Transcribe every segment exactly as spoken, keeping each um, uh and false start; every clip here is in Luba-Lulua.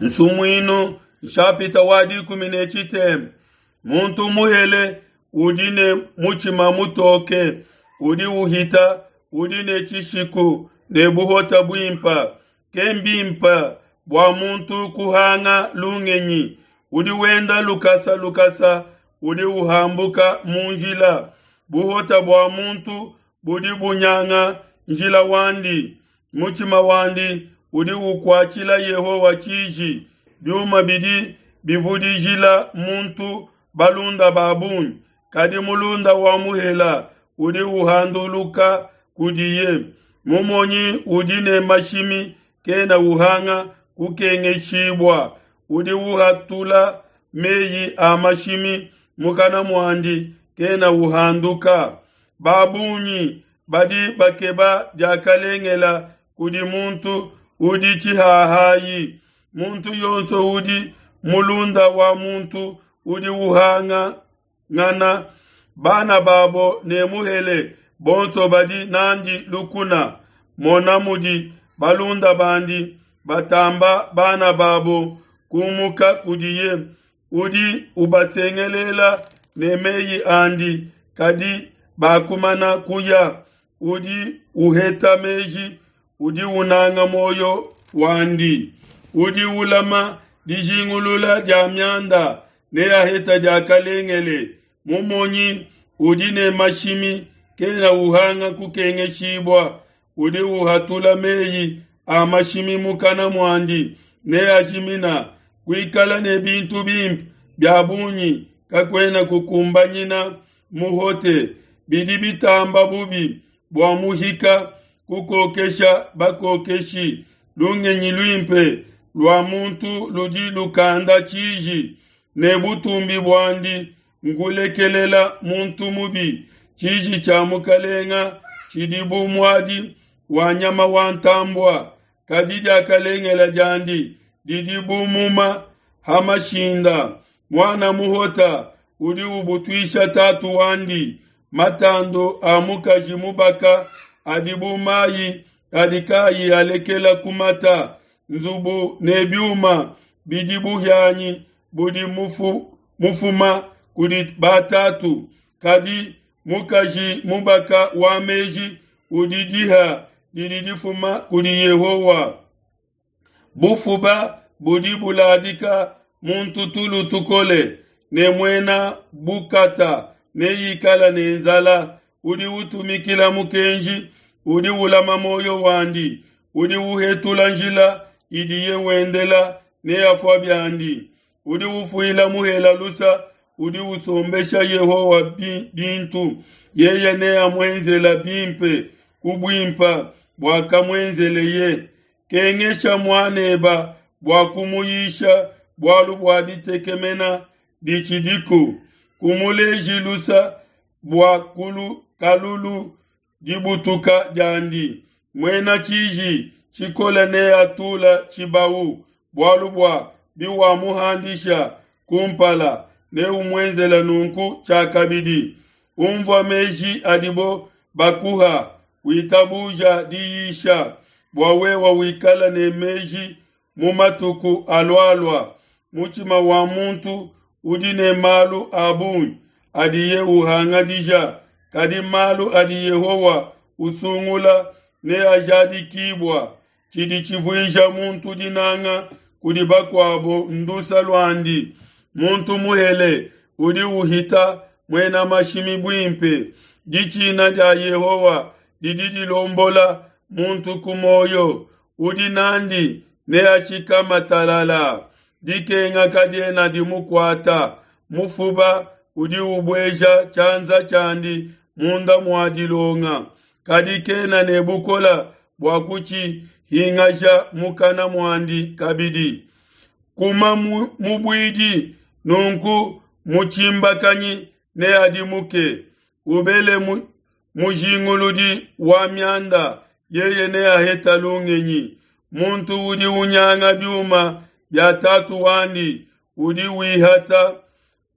Nsumuinu nshapita wa dikumi ne tshitema. Muntu muhele udi ne mutshima mutoke, udi uhita udi ne tshishiku ne buhota buimpe. Kembimpe bua muntu kuhanga lungenyi. Udi wenda lukasa lukasa udi uhambuka mu njila. Buhota bua muntu budi bunyanga njila wandi. Mutshima wandi udi ukuatshila Yehowa tshiji. Biuma bidi bivudijila muntu balunda ba bungi, kadi mulunda wa muhela udi uhanduluka kudiye. Mumonyi udi ne mashimi kena uhanga kukengeshibua, udi uhatula meyi a mashimi mukana muandi kena uhanduka. Ba bungi badi bakeba diakalengela kudi muntu udi tshihahayi. Muntu yonso udi mulunda wa muntu udi uhangangana. Bana babo ne muhele bonso badi nandi lukuna. Mona mudi balunda bandi batamba bana babo kumuka kudiye. Udi ubasengelela ne meyi andi, kadi bakumana kuya. Udi uheta meji, udi unanga muoyo wandi. Udi ulama dijingulula dia mianda neaheta diakalengele. Mumonyi udi ne mashimi kena uhanga kukengeshibua. Udi uhatula meyi a mashimi mukana muandi neajimina. Kuikala ne bintu bimpe bia bungi kakuena kukumbanyina muhote. Bidi bitamba bubi bua muhika kukokesha bakokeshi. Lungenyi luimpe lua muntu ludi lukanda tshiji, ne butumbi buandi nkulekelela muntu mubi. Tshiji tshia mukalenga tshidi bu muadi wa nyama wa ntambua, kadi diakalengela diandi didi bu muma ha mashinda. Muana muhota udi ubutuisha tatu wandi. Matandu a mukaji mubaka adi bu mayi adi kayi alekela kumata. Nzubu ne biuma bidi buhianyi budi mufu, mufuma kudi batatu, kadi mukaji mubaka wa meji udi diha didi difuma kudi Yehowa. Bufuba budi buladika muntu tulu tukole, ne muena bukata neikala ne nzala. Udi utumikila mukenji udi ulama muoyo wandi. Udi uhetula njila idiye wendela neafua biandi. Udi ufuila muhela lusa udi usombesha Yehowa bintu. Yeye neamuenzela bimpe ku buimpe buakamuenzeleye. Kengesha muaneba bua kumuyisha bualu bua ditekemena ditshidiku. Kumuleji lusa bua kulu kalulu dibutuka diandi. Muena tshiji tshikole neatula tshibawu, bualu bua biwamuhandisha kumpala neumuenzela nunku tshiakabidi. Umvua meji adibo bakuha, witabuja diyisha, bua wewa wikala ne meji mu matuku alualua. Mutshima wa muntu udi ne malu a bungi adiye uhangadija, kadi malu adi Yehowa usungula neajadikibua. Tshidi tshivuija muntu dinanga kudi bakuabo ndusa luandi. Muntu muhele udi uhita muena mashimi buimpe. Ditshina dia Yehowa didi dilombola muntu ku muoyo. Udi nandi neashikama talala. Dikenga kadiena dimukuata. Mufuba udi ubueja tshianza tshiandi munda mua dilonga, kadi kena ne bukole bua kutshihingaja mukana muandi kabidi. Kuma mubuidi, nunku mutshimbakanyi neadimuke. Ubele mujinguludi wa mianda, yeye neaheta lungenyi. Muntu udi unyanga biuma bia tatu wandi udi wihata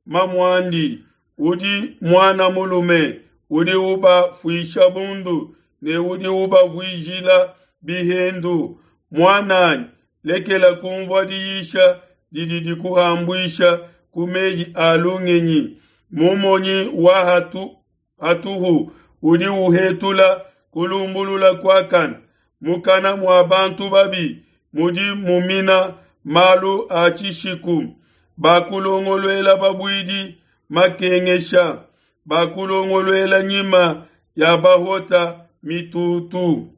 mamuandi. Udi muana mulume udi ubafuisha bundu ne udi ubavuijila bihendu. Muananyi, Lekela kunvua diyisha didi dikuhambuisha ku mei a lungenyi. Mumonyi wa hatu, hatuhu udi uhetula kulumbulula kuakane. Mukana mua bantu babi mudi mumina malu a tshishiku. Bakulongoluela babuidi makengesha, bakulongoluela nyima ya bahota mitutu.